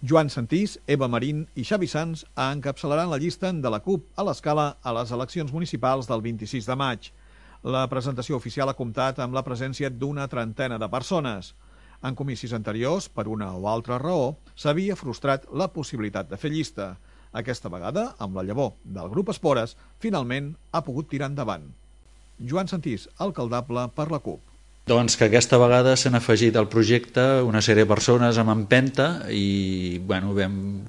Joan Santís, Eva Marín i Xavi Sans encapçalaran la llista de la CUP a l'Escala a les eleccions municipals del 26 de maig. La presentació oficial ha comptat amb la presència d'una trentena de persones. En comicis anteriors, per una o altra raó, s'havia frustrat la possibilitat de fer llista. Aquesta vegada, amb la llavor del grup Espores, finalment ha pogut tirar endavant. Joan Santís, alcaldable per la CUP. Doncs que aquesta vegada s'han afegit al projecte una sèrie de persones amb empenta i vam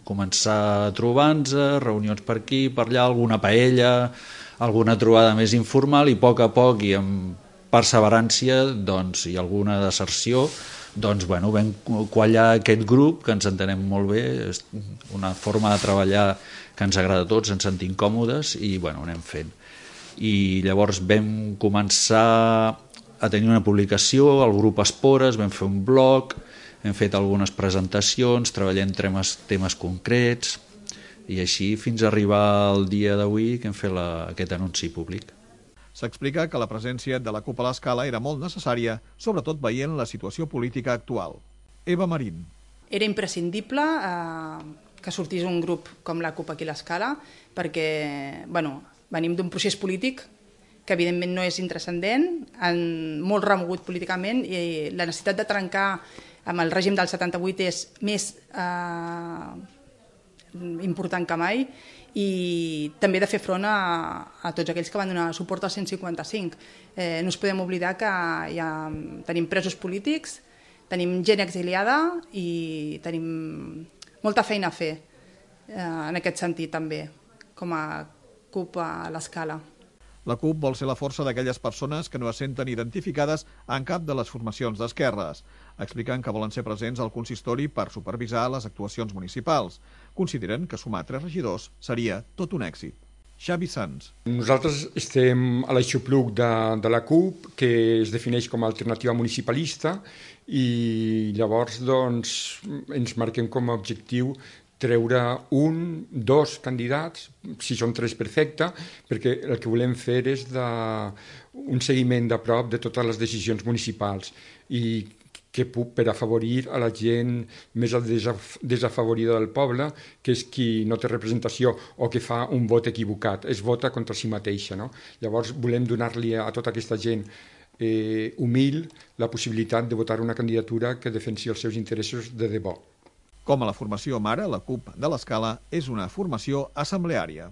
començar trobant-nos, reunions per aquí, per allà, alguna paella, alguna trobada més informal i a poc i amb perseverància i alguna deserció vam quallar aquest grup que ens entenem molt bé, és una forma de treballar que ens agrada a tots, ens sentim còmodes i ho anem fent. I llavors vam començar a tenir una publicació, el grup Espores, vam fer un blog, hem fet algunes presentacions, treballem temes concrets i així fins a arribar al dia d'avui que hem fet aquest anunci públic. S'explica que la presència de la CUP a l'Escala era molt necessària, sobretot veient la situació política actual. Eva Marín. Era imprescindible que sortís un grup com la CUP aquí a l'Escala perquè venim d'un procés polític que evidentment no és intranscendent, molt remogut políticament i la necessitat de trencar amb el règim del 78 és més important que mai i també de fer front a tots aquells que van donar suport al 155. No ens podem oblidar que tenim presos polítics, tenim gent exiliada i tenim molta feina a fer en aquest sentit també, com a CUP a l'Escala. La CUP vol ser la força d'aquelles persones que no es senten identificades en cap de les formacions d'esquerres. Expliquen que volen ser presents al consistori per supervisar les actuacions municipals. Consideren que sumar 3 regidors seria tot un èxit. Xavi Sans. Nosaltres estem a l'aixopluc de la CUP, que es defineix com a alternativa municipalista, i llavors ens marquem com a objectiu treure 1, 2 candidats, si són 3 perfecte, perquè el que volem fer és un seguiment de prop de totes les decisions municipals i que per afavorir a la gent més desafavorida del poble, que és qui no té representació o que fa un vot equivocat, es vota contra si mateixa. No? Llavors volem donar-li a tota aquesta gent humil la possibilitat de votar una candidatura que defensi els seus interessos de debò. Com a la formació mare, la CUP de l'Escala és una formació assembleària.